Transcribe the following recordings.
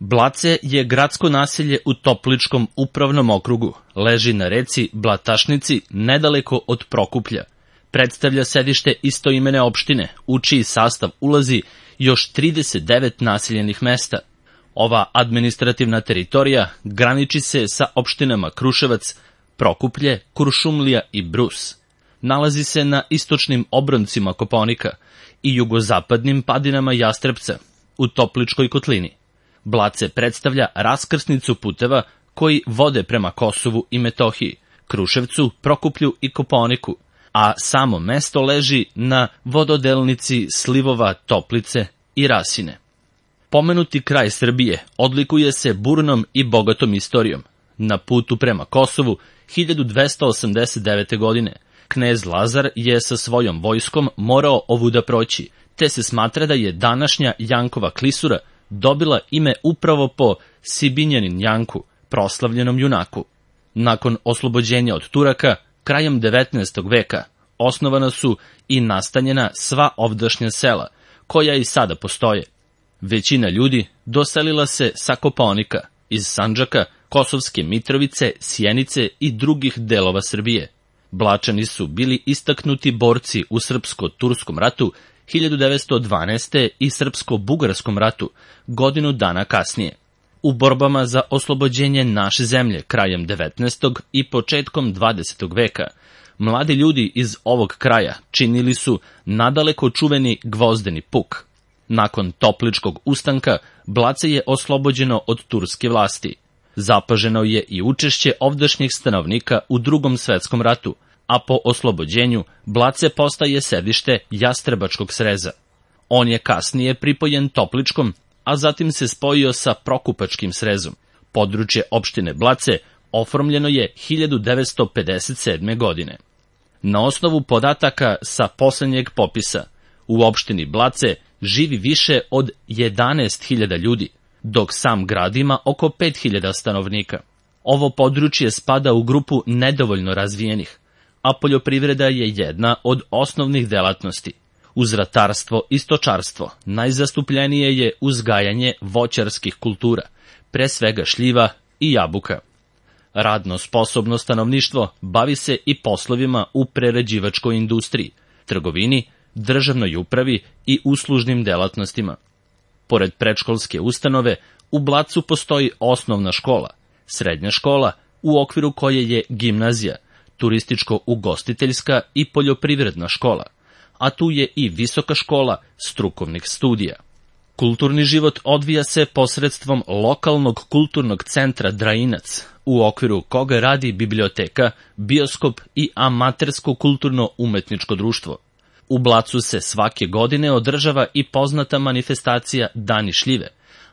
Blace je gradsko naselje u Topličkom upravnom okrugu. Leži na reci Blatašnici, nedaleko od Prokuplja. Predstavlja sedište istoimene opštine, u čiji sastav ulazi još 39 naseljenih mesta. Ova administrativna teritorija graniči se sa opštinama Kruševac, Prokuplje, Kuršumlija i Brus. Nalazi se na istočnim obroncima Kopaonika i jugozapadnim padinama Jastrebca, u Topličkoj kotlini. Blace predstavlja raskrsnicu puteva koji vode prema Kosovu i Metohiji, Kruševcu, Prokuplju i Kopaoniku, a samo mesto leži na vododelnici slivova Toplice i Rasine. Pomenuti kraj Srbije odlikuje se burnom i bogatom istorijom. Na putu prema Kosovu 1289. godine knez Lazar je sa svojom vojskom morao ovuda proći, te se smatra da je današnja Jankova klisura dobila ime upravo po Sibinjanin Janku, proslavljenom junaku. Nakon oslobođenja od Turaka, krajem 19. veka, osnovana su i nastanjena sva ovdašnja sela, koja i sada postoje. Većina ljudi doselila se sa Kopaonika, iz Sandžaka, Kosovske Mitrovice, Sjenice i drugih delova Srbije. Blačani su bili istaknuti borci u Srpsko-Turskom ratu 1912. i Srpsko-Bugarskom ratu godinu dana kasnije. U borbama za oslobođenje naše zemlje krajem 19. i početkom 20. veka, mladi ljudi iz ovog kraja činili su nadaleko čuveni Gvozdeni puk. Nakon Topličkog ustanka, Blace je oslobođeno od turske vlasti. Zapaženo je i učešće ovdašnjih stanovnika u Drugom svetskom ratu, a po oslobođenju Blace postaje sedište Jastrebačkog sreza. On je kasnije pripojen Topličkom, a zatim se spojio sa Prokupačkim srezom. Područje opštine Blace oformljeno je 1957. godine. Na osnovu podataka sa poslednjeg popisa, u opštini Blace živi više od 11.000 ljudi, dok sam grad ima oko 5.000 stanovnika. Ovo područje spada u grupu nedovoljno razvijenih, a poljoprivreda je jedna od osnovnih delatnosti. Uz ratarstvo i stočarstvo najzastupljenije je uzgajanje voćarskih kultura, pre svega šljiva i jabuka. Radno sposobno stanovništvo bavi se i poslovima u prerađivačkoj industriji, trgovini, državnoj upravi i uslužnim delatnostima. Pored predškolske ustanove, u Blacu postoji osnovna škola, srednja škola, u okviru koje je gimnazija, turističko-ugostiteljska i poljoprivredna škola, a tu je i visoka škola strukovnih studija. Kulturni život odvija se posredstvom lokalnog kulturnog centra Drainac, u okviru koga radi biblioteka, bioskop i amatersko kulturno-umetničko društvo. U Blacu se svake godine održava i poznata manifestacija Dani šljive,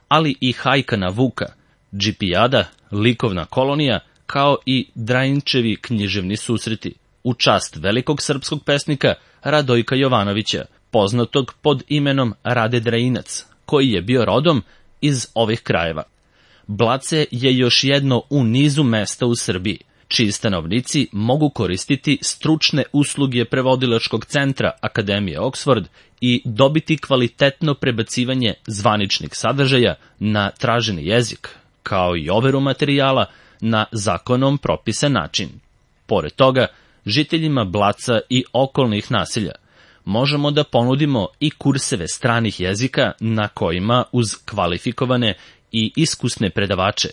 ali i hajka na Vuka, džipijada, likovna kolonija, kao i Drainčevi književni susreti, u čast velikog srpskog pesnika Radojka Jovanovića, poznatog pod imenom Rade Drainac, koji je bio rodom iz ovih krajeva. Blace je još jedno u nizu mesta u Srbiji, čiji stanovnici mogu koristiti stručne usluge prevodilačkog centra Akademije Oksford i dobiti kvalitetno prebacivanje zvaničnih sadržaja na traženi jezik, kao i overu materijala na zakonom propisan način. Pored toga, žiteljima Blaca i okolnih naselja možemo da ponudimo i kurseve stranih jezika na kojima uz kvalifikovane i iskusne predavače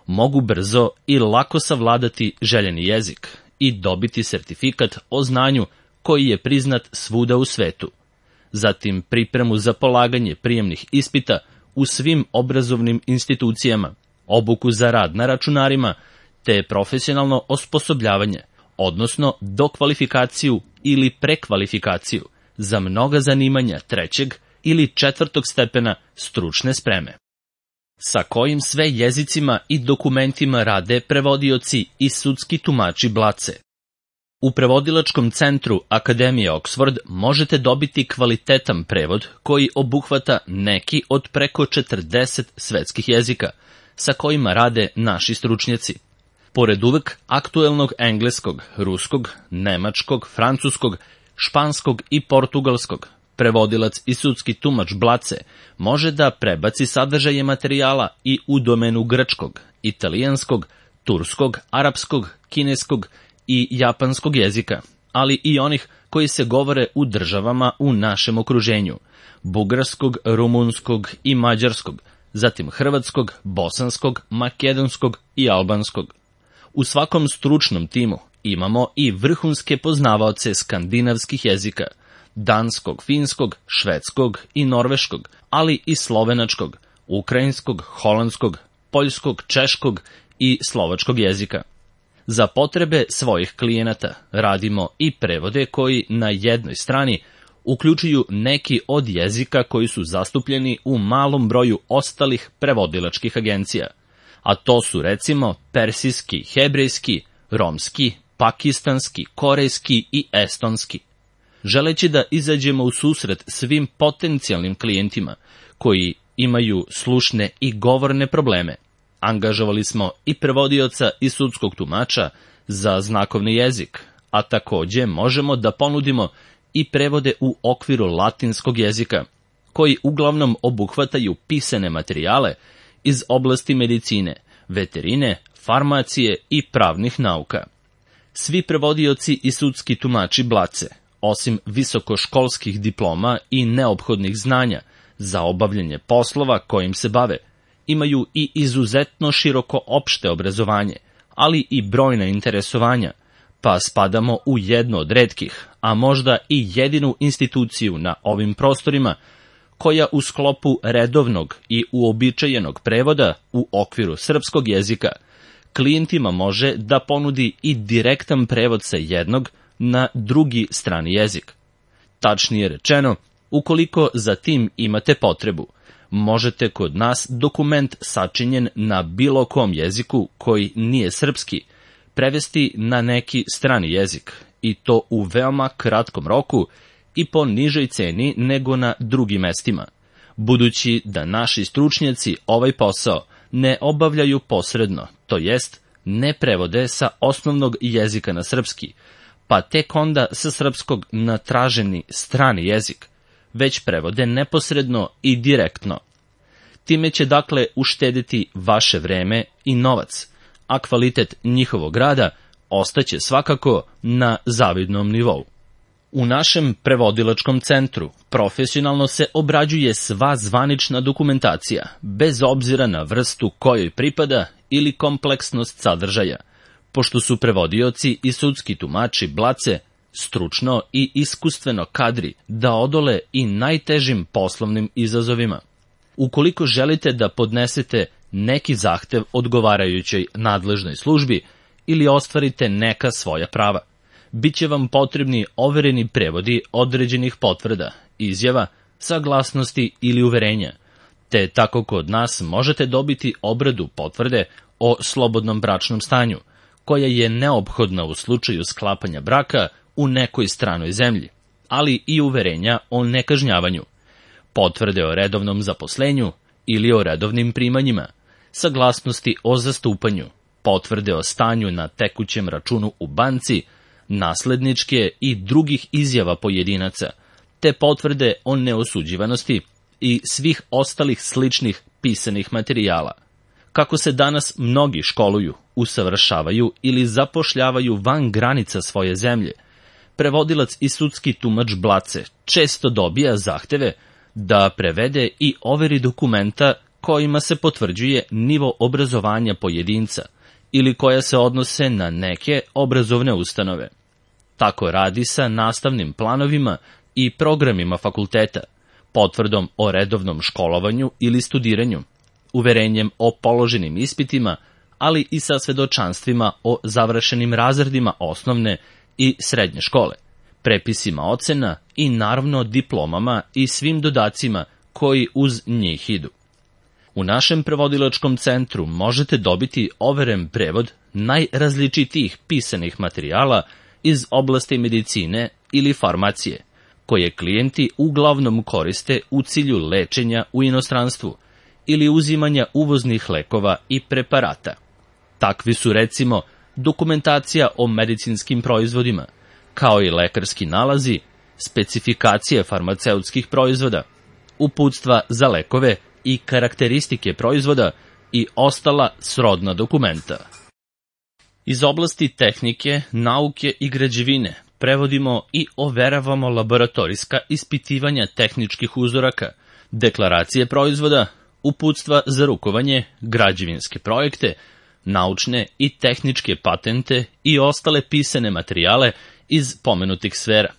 mogu brzo i lako savladati željeni jezik i dobiti sertifikat o znanju koji je priznat svuda u svetu. Zatim pripremu za polaganje prijemnih ispita u svim obrazovnim institucijama, obuku za rad na računarima, te profesionalno osposobljavanje, odnosno dokvalifikaciju ili prekvalifikaciju za mnoga zanimanja 3. ili 4. stepena stručne spreme. Sa kojim sve jezicima i dokumentima rade prevodioci i sudski tumači Blace. U prevodilačkom centru Akademije Oksford možete dobiti kvalitetan prevod koji obuhvata neki od preko 40 svetskih jezika, sa kojima rade naši stručnjaci. Pored uvek aktuelnog engleskog, ruskog, nemačkog, francuskog, španskog i portugalskog, Prevodilac i sudski tumač Blace može da prebaci sadržaje materijala i u domenu grčkog, italijanskog, turskog, arapskog, kineskog i japanskog jezika, ali i onih koji se govore u državama u našem okruženju, bugarskog, rumunskog i mađarskog, zatim hrvatskog, bosanskog, makedonskog i albanskog. U svakom stručnom timu imamo i vrhunske poznavaoce skandinavskih jezika, danskog, finskog, švedskog i norveškog, ali i slovenačkog, ukrajinskog, holandskog, poljskog, češkog i slovačkog jezika. Za potrebe svojih klijenata radimo i prevode koji na jednoj strani uključuju neki od jezika koji su zastupljeni u malom broju ostalih prevodilačkih agencija, a to su recimo persijski, hebrejski, romski, pakistanski, korejski i estonski. Želeći da izađemo u susret svim potencijalnim klijentima koji imaju slušne i govorne probleme, angažovali smo i prevodioca i sudskog tumača za znakovni jezik, a takođe možemo da ponudimo i prevode u okviru latinskog jezika, koji uglavnom obuhvataju pisane materijale iz oblasti medicine, veterine, farmacije i pravnih nauka. Svi prevodioci i sudski tumači Blace, osim visokoškolskih diploma i neophodnih znanja za obavljanje poslova kojim se bave, imaju i izuzetno široko opšte obrazovanje, ali i brojna interesovanja, pa spadamo u jednu od retkih, a možda i jedinu instituciju na ovim prostorima, koja u sklopu redovnog i uobičajenog prevoda u okviru srpskog jezika klijentima može da ponudi i direktan prevod sa jednog na drugi strani jezik. Tačnije rečeno, ukoliko za tim imate potrebu, možete kod nas dokument sačinjen na bilo kom jeziku koji nije srpski prevesti na neki strani jezik, i to u veoma kratkom roku i po nižoj ceni nego na drugim mestima, budući da naši stručnjaci ovaj posao ne obavljaju posredno, to jest ne prevode sa osnovnog jezika na srpski, pa tek onda sa srpskog na traženi strani jezik, već prevode neposredno i direktno. Time će dakle uštediti vaše vreme i novac, a kvalitet njihovog rada ostaće svakako na zavidnom nivou. U našem prevodilačkom centru profesionalno se obrađuje sva zvanična dokumentacija, bez obzira na vrstu kojoj pripada ili kompleksnost sadržaja, pošto su prevodioci i sudski tumači Blace stručno i iskustveno kadri da odole i najtežim poslovnim izazovima. Ukoliko želite da podnesete neki zahtev odgovarajućoj nadležnoj službi ili ostvarite neka svoja prava, biće vam potrebni overeni prevodi određenih potvrda, izjava, saglasnosti ili uverenja, te tako kod nas možete dobiti obradu potvrde o slobodnom bračnom stanju, koja je neophodna u slučaju sklapanja braka u nekoj stranoj zemlji, ali i uverenja o nekažnjavanju, potvrde o redovnom zaposlenju ili o redovnim primanjima, saglasnosti o zastupanju, potvrde o stanju na tekućem računu u banci, nasledničke i drugih izjava pojedinaca, te potvrde o neosuđivanosti i svih ostalih sličnih pisanih materijala. Kako se danas mnogi školuju, usavršavaju ili zapošljavaju van granica svoje zemlje, prevodilac i sudski tumač Blace često dobija zahteve da prevede i overi dokumenta kojima se potvrđuje nivo obrazovanja pojedinca ili koja se odnose na neke obrazovne ustanove. Tako radi sa nastavnim planovima i programima fakulteta, potvrdom o redovnom školovanju ili studiranju, uverenjem o položenim ispitima, ali i sa svedočanstvima o završenim razredima osnovne i srednje škole, prepisima ocena i naravno diplomama i svim dodacima koji uz njih idu. U našem prevodilačkom centru možete dobiti overen prevod najrazličitijih pisanih materijala iz oblasti medicine ili farmacije, koje klijenti uglavnom koriste u cilju lečenja u inostranstvu ili uzimanja uvoznih lekova i preparata. Takvi su recimo dokumentacija o medicinskim proizvodima, kao i lekarski nalazi, specifikacije farmaceutskih proizvoda, uputstva za lekove i karakteristike proizvoda i ostala srodna dokumenta. Iz oblasti tehnike, nauke i građevine prevodimo i overavamo laboratorijska ispitivanja tehničkih uzoraka, deklaracije proizvoda, uputstva za rukovanje, građevinske projekte, naučne i tehničke patente i ostale pisane materijale iz pomenutih sfera.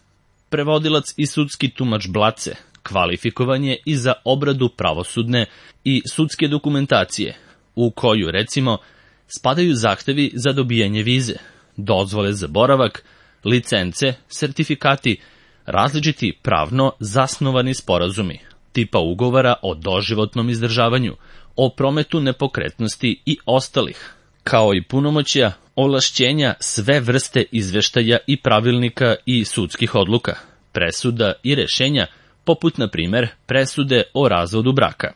Prevodilac i sudski tumač Blace kvalifikovan je i za obradu pravosudne i sudske dokumentacije, u koju, recimo, spadaju zahtevi za dobijanje vize, dozvole za boravak, licence, sertifikati, različiti pravno zasnovani sporazumi, tipa ugovora o doživotnom izdržavanju, o prometu nepokretnosti i ostalih, kao i punomoćja, ovlašćenja, sve vrste izveštaja i pravilnika i sudskih odluka, presuda i rešenja, poput, na primer, presude o razvodu braka.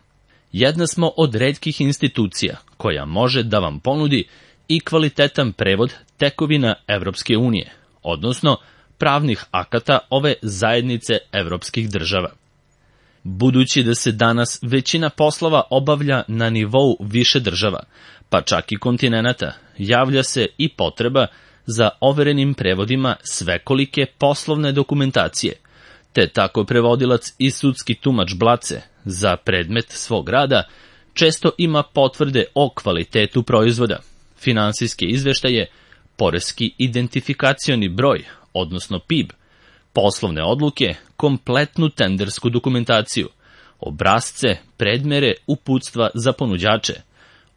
Jedna smo od retkih institucija koja može da vam ponudi i kvalitetan prevod tekovina Evropske unije, odnosno pravnih akata ove zajednice evropskih država. Budući da se danas većina poslova obavlja na nivou više država, pa čak i kontinenata, javlja se i potreba za overenim prevodima svekolike poslovne dokumentacije, te tako prevodilac i sudski tumač Blace za predmet svog rada često ima potvrde o kvalitetu proizvoda, finansijske izveštaje, poreski identifikacioni broj, odnosno PIB, poslovne odluke, kompletnu tendersku dokumentaciju, obrasce, predmere, uputstva za ponuđače,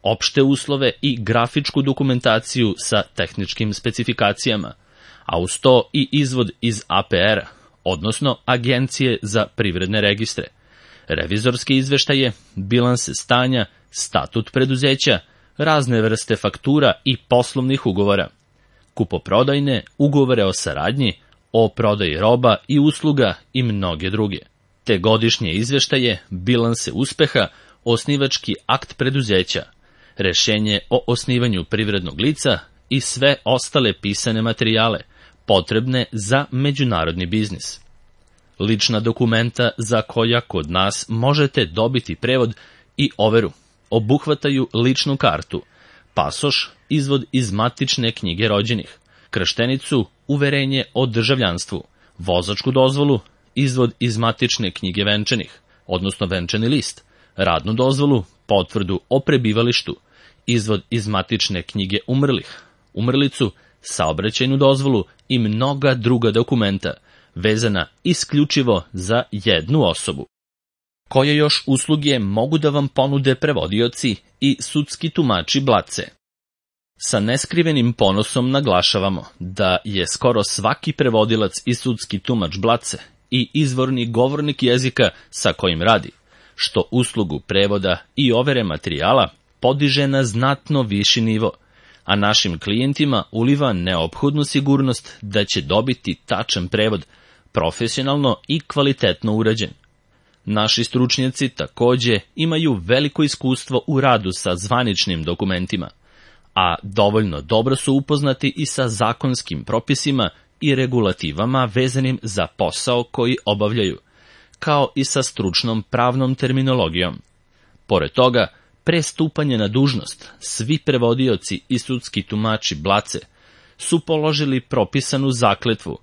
opšte uslove i grafičku dokumentaciju sa tehničkim specifikacijama, a uz to i izvod iz APR-a, odnosno Agencije za privredne registre, revizorske izveštaje, bilanse stanja, statut preduzeća, razne vrste faktura i poslovnih ugovora, kupoprodajne, ugovore o saradnji, o prodaji roba i usluga i mnoge druge, te godišnje izveštaje, bilanse uspeha, osnivački akt preduzeća, rešenje o osnivanju privrednog lica i sve ostale pisane materijale, potrebne za međunarodni biznis. Lična dokumenta za koja kod nas možete dobiti prevod i overu obuhvataju ličnu kartu, pasoš, izvod iz matične knjige rođenih, krštenicu, uverenje o državljanstvu, vozačku dozvolu, izvod iz matične knjige venčanih, odnosno venčani list, radnu dozvolu, potvrdu o prebivalištu, izvod iz matične knjige umrlih, umrlicu, saobraćajnu dozvolu i mnoga druga dokumenta, vezana isključivo za jednu osobu. Koje još usluge mogu da vam ponude prevodioci i sudski tumači Blace? Sa neskrivenim ponosom naglašavamo da je skoro svaki prevodilac i sudski tumač Blace i izvorni govornik jezika sa kojim radi, što uslugu prevoda i overe materijala podiže na znatno viši nivo, a našim klijentima uliva neophodnu sigurnost da će dobiti tačan prevod, profesionalno i kvalitetno urađen. Naši stručnjaci takođe imaju veliko iskustvo u radu sa zvaničnim dokumentima, a dovoljno dobro su upoznati i sa zakonskim propisima i regulativama vezanim za posao koji obavljaju, kao i sa stručnom pravnom terminologijom. Pored toga, pre stupanja na dužnost, svi prevodioci i sudski tumači Blace su položili propisanu zakletvu,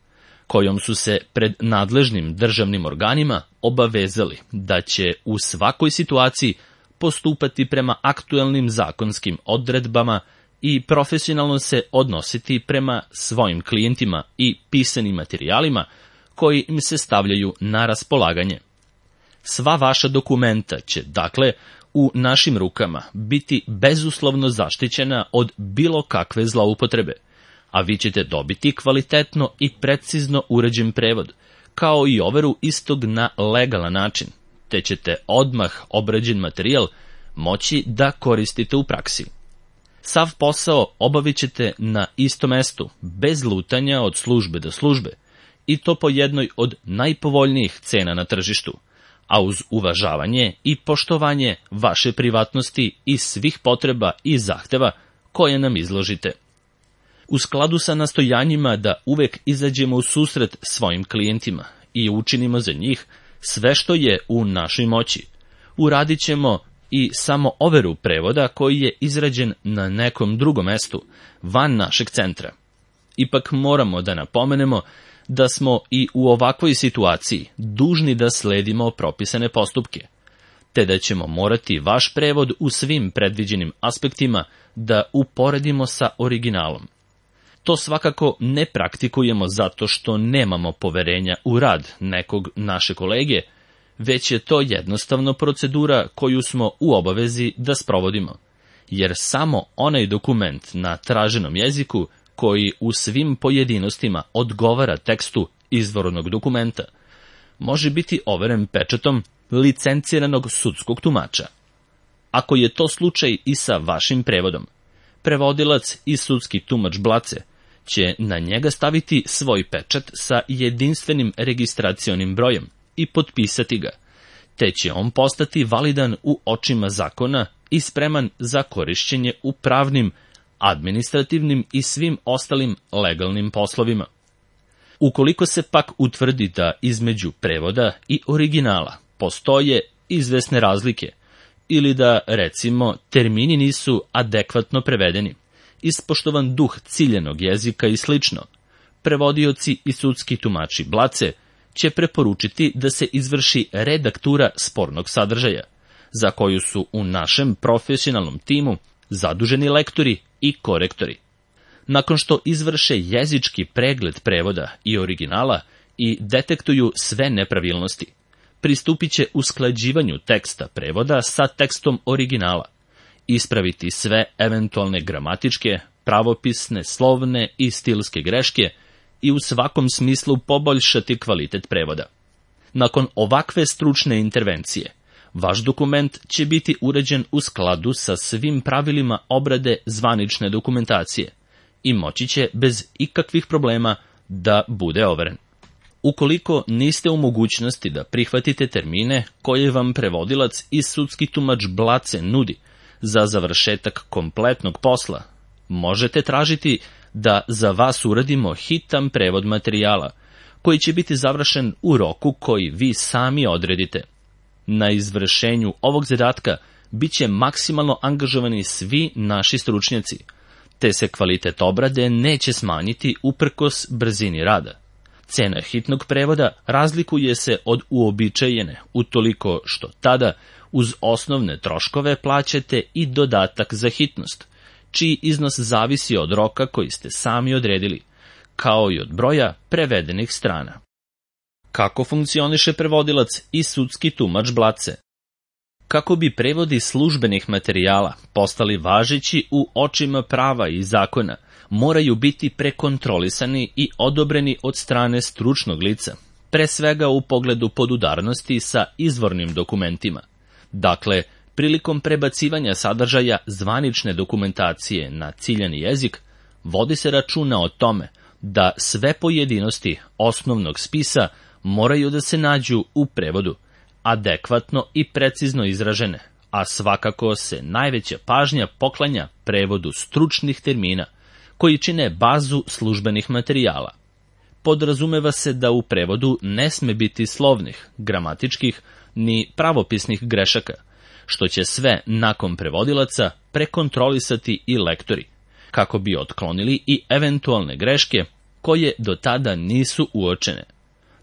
kojom su se pred nadležnim državnim organima obavezali da će u svakoj situaciji postupati prema aktuelnim zakonskim odredbama i profesionalno se odnositi prema svojim klijentima i pisanim materijalima koji im se stavljaju na raspolaganje. Sva vaša dokumenta će, dakle, u našim rukama biti bezuslovno zaštićena od bilo kakve zloupotrebe, a vi ćete dobiti kvalitetno i precizno uređen prevod, kao i overu istog na legalan način, te ćete odmah obrađen materijal moći da koristite u praksi. Sav posao obavit ćete na istom mestu, bez lutanja od službe do službe, i to po jednoj od najpovoljnijih cena na tržištu, a uz uvažavanje i poštovanje vaše privatnosti i svih potreba i zahteva koje nam izložite. U skladu sa nastojanjima da uvek izađemo u susret svojim klijentima i učinimo za njih sve što je u našoj moći. Uradit ćemo i samo overu prevoda koji je izrađen na nekom drugom mestu, van našeg centra. Ipak moramo da napomenemo da smo i u ovakvoj situaciji dužni da sledimo propisane postupke, te da ćemo morati vaš prevod u svim predviđenim aspektima da uporedimo sa originalom. To svakako ne praktikujemo zato što nemamo poverenja u rad nekog naše kolege, već je to jednostavno procedura koju smo u obavezi da sprovodimo, jer samo onaj dokument na traženom jeziku koji u svim pojedinostima odgovara tekstu izvornog dokumenta, može biti overen pečatom licenciranog sudskog tumača. Ako je to slučaj i sa vašim prevodom, prevodilac i sudski tumač Blace će na njega staviti svoj pečat sa jedinstvenim registracionim brojem i potpisati ga, te će on postati validan u očima zakona i spreman za korišćenje u pravnim, administrativnim i svim ostalim legalnim poslovima. Ukoliko se pak utvrdi da između prevoda i originala postoje izvesne razlike, ili da, recimo, termini nisu adekvatno prevedeni, ispoštovan duh ciljenog jezika i slično, prevodioci i sudski tumači Blace će preporučiti da se izvrši redaktura spornog sadržaja, za koju su u našem profesionalnom timu zaduženi lektori i korektori. Nakon što izvrše jezički pregled prevoda i originala i detektuju sve nepravilnosti, pristupit će usklađivanju teksta prevoda sa tekstom originala, ispraviti sve eventualne gramatičke, pravopisne, slovne i stilske greške i u svakom smislu poboljšati kvalitet prevoda. Nakon ovakve stručne intervencije, vaš dokument će biti uređen u skladu sa svim pravilima obrade zvanične dokumentacije i moći će bez ikakvih problema da bude overen. Ukoliko niste u mogućnosti da prihvatite termine koje vam prevodilac i sudski tumač Blace nudi za završetak kompletnog posla, možete tražiti da za vas uradimo hitan prevod materijala, koji će biti završen u roku koji vi sami odredite. Na izvršenju ovog zadatka bit će maksimalno angažovani svi naši stručnjaci, te se kvalitet obrade neće smanjiti uprkos brzini rada. Cena hitnog prevoda razlikuje se od uobičajene utoliko što tada uz osnovne troškove plaćate i dodatak za hitnost, čiji iznos zavisi od roka koji ste sami odredili, kao i od broja prevedenih strana. Kako funkcioniše prevodilac i sudski tumač Blace? Kako bi prevodi službenih materijala postali važeći u očima prava i zakona, moraju biti prekontrolisani i odobreni od strane stručnog lica, pre svega u pogledu podudarnosti sa izvornim dokumentima. Dakle, prilikom prebacivanja sadržaja zvanične dokumentacije na ciljani jezik, vodi se računa o tome da sve pojedinosti osnovnog spisa moraju da se nađu u prevodu, adekvatno i precizno izražene, a svakako se najveća pažnja poklanja prevodu stručnih termina, koji čine bazu službenih materijala. Podrazumeva se da u prevodu ne sme biti slovnih, gramatičkih ni pravopisnih grešaka, što će sve nakon prevodilaca prekontrolisati i lektori, kako bi otklonili i eventualne greške koje do tada nisu uočene.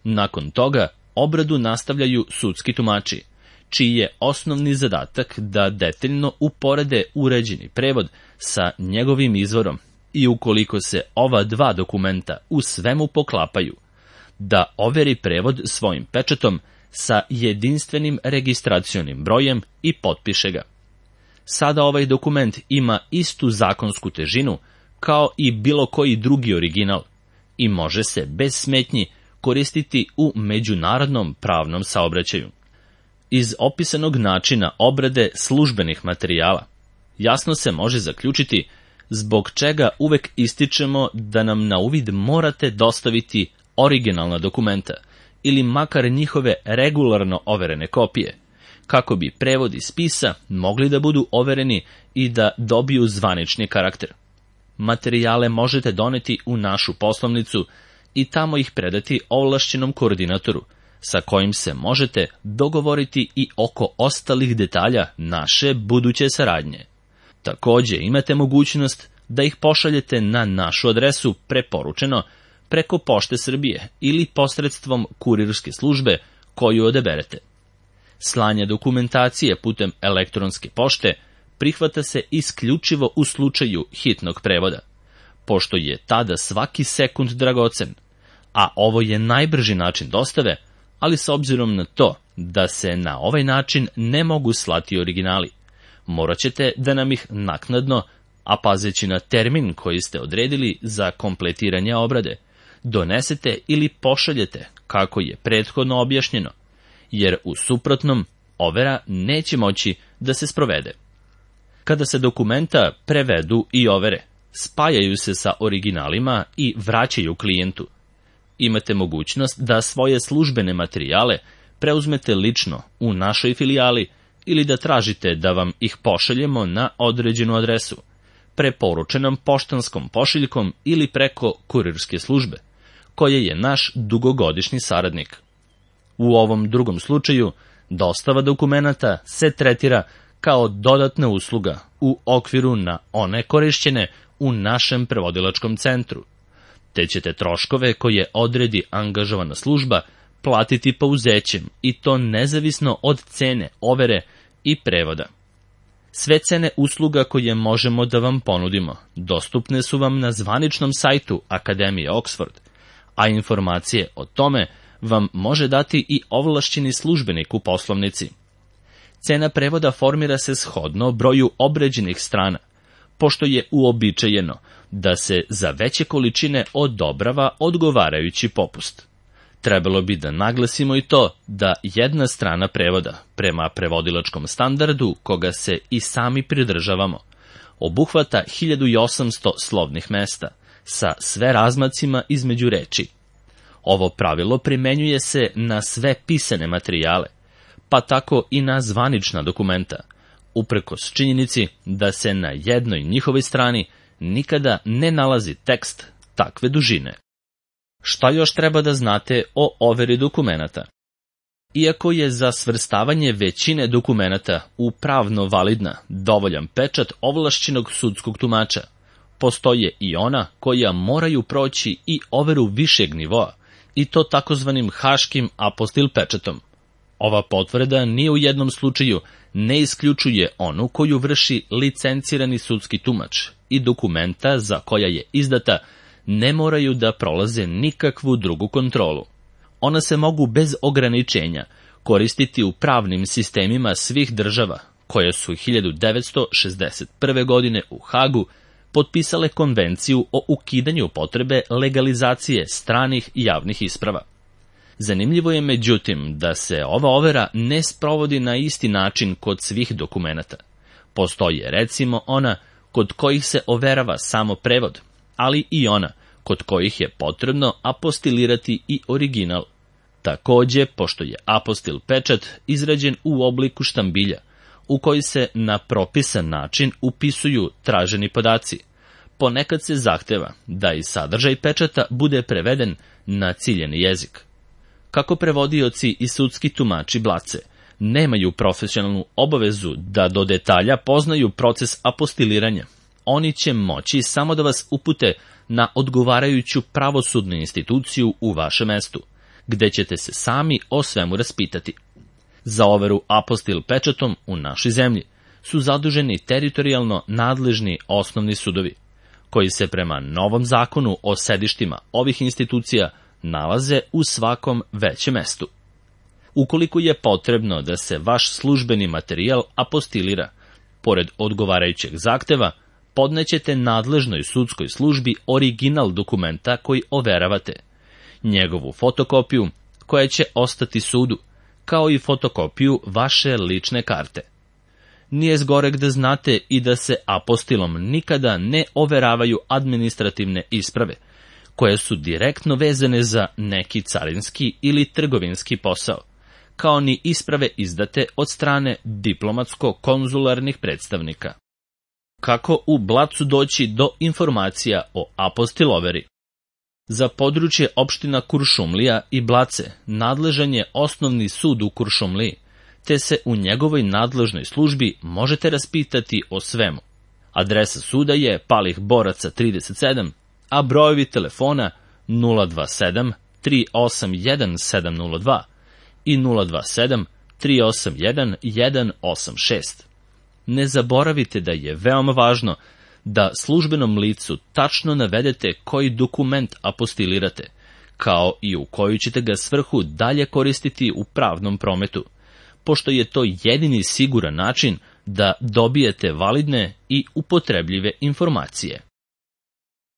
Nakon toga obradu nastavljaju sudski tumači, čiji je osnovni zadatak da detaljno uporede uređeni prevod sa njegovim izvorom i ukoliko se ova dva dokumenta u svemu poklapaju, da overi prevod svojim pečatom sa jedinstvenim registracionim brojem i potpiše ga. Sada ovaj dokument ima istu zakonsku težinu kao i bilo koji drugi original i može se bez smetnji koristiti u međunarodnom pravnom saobraćaju. Iz opisanog načina obrade službenih materijala jasno se može zaključiti zbog čega uvek ističemo da nam na uvid morate dostaviti originalna dokumenta ili makar njihove regularno overene kopije, kako bi prevodi spisa mogli da budu overeni i da dobiju zvanični karakter. Materijale možete doneti u našu poslovnicu i tamo ih predati ovlašćenom koordinatoru, sa kojim se možete dogovoriti i oko ostalih detalja naše buduće saradnje. Također imate mogućnost da ih pošaljete na našu adresu preporučeno preko Pošte Srbije ili posredstvom kurirske službe koju odaberete. Slanje dokumentacije putem elektronske pošte prihvata se isključivo u slučaju hitnog prevoda, pošto je tada svaki sekund dragocen, a ovo je najbrži način dostave, ali s obzirom na to da se na ovaj način ne mogu slati originali, morat ćete da nam ih naknadno, a pazeći na termin koji ste odredili za kompletiranje obrade, donesete ili pošaljete kako je prethodno objašnjeno, jer u suprotnom overa neće moći da se sprovede. Kada se dokumenta prevedu i overe, spajaju se sa originalima i vraćaju klijentu. Imate mogućnost da svoje službene materijale preuzmete lično u našoj filijali ili da tražite da vam ih pošaljemo na određenu adresu, preporučenom poštanskom pošiljkom ili preko kurirske službe, koja je naš dugogodišnji saradnik. U ovom drugom slučaju, dostava dokumenata se tretira kao dodatna usluga u okviru na one korišćene u našem prevodilačkom centru, te ćete troškove koje odredi angažovana služba platiti pouzećem i to nezavisno od cene overe i prevoda. Sve cene usluga koje možemo da vam ponudimo dostupne su vam na zvaničnom sajtu Akademije Oxford, a informacije o tome vam može dati i ovlašćeni službenik u poslovnici. Cena prevoda formira se shodno broju obrađenih strana, pošto je uobičajeno da se za veće količine odobrava odgovarajući popust. Trebalo bi da naglasimo i to da jedna strana prevoda, prema prevodilačkom standardu koga se i sami pridržavamo, obuhvata 1800 slovnih mesta, sa sve razmacima između reči. Ovo pravilo primenjuje se na sve pisane materijale, pa tako i na zvanična dokumenta, uprkos činjenici da se na jednoj njihovoj strani nikada ne nalazi tekst takve dužine. Šta još treba da znate o overi dokumenata? Iako je za svrstavanje većine dokumenata u pravno validna dovoljan pečat ovlašćenog sudskog tumača, postoje i ona koja moraju proći i overu višeg nivoa, i to takozvanim haškim apostil pečatom. Ova potvrda ni u jednom slučaju ne isključuje onu koju vrši licencirani sudski tumač i dokumenta za koja je izdata ne moraju da prolaze nikakvu drugu kontrolu. Ona se mogu bez ograničenja koristiti u pravnim sistemima svih država koje su 1961. godine u Hagu potpisale konvenciju o ukidanju potrebe legalizacije stranih javnih isprava. Zanimljivo je međutim da se ova overa ne sprovodi na isti način kod svih dokumenata. Postoje recimo ona kod kojih se overava samo prevod, ali i ona kod kojih je potrebno apostilirati i original. Također, pošto je apostil pečat izrađen u obliku štambilja, u koji se na propisan način upisuju traženi podaci, ponekad se zahteva da i sadržaj pečata bude preveden na ciljeni jezik. Kako prevodioci i sudski tumači blace nemaju profesionalnu obavezu da do detalja poznaju proces apostiliranja, oni će moći samo da vas upute na odgovarajuću pravosudnu instituciju u vašem mestu, gde ćete se sami o svemu raspitati. Za overu apostil pečatom u našoj zemlji su zaduženi teritorijalno nadležni osnovni sudovi, koji se prema novom zakonu o sedištima ovih institucija nalaze u svakom većem mestu. Ukoliko je potrebno da se vaš službeni materijal apostilira, pored odgovarajućeg zahteva, podnećete nadležnoj sudskoj službi original dokumenta koji overavate, njegovu fotokopiju koja će ostati sudu, kao i fotokopiju vaše lične karte. Nije zgoreg da znate i da se apostilom nikada ne overavaju administrativne isprave, koje su direktno vezane za neki carinski ili trgovinski posao, kao ni isprave izdate od strane diplomatsko-konzularnih predstavnika. Kako u Blacu doći do informacija o apostil overi? Za područje opština Kuršumlija i Blace nadležan je Osnovni sud u Kuršumliji, te se u njegovoj nadležnoj službi možete raspitati o svemu. Adresa suda je Palih Boraca 37, a brojevi telefona 027 381 702 i 027 381 186. Ne zaboravite da je veoma važno da službenom licu tačno navedete koji dokument apostilirate, kao i u koju ćete ga svrhu dalje koristiti u pravnom prometu, pošto je to jedini siguran način da dobijete validne i upotrebljive informacije.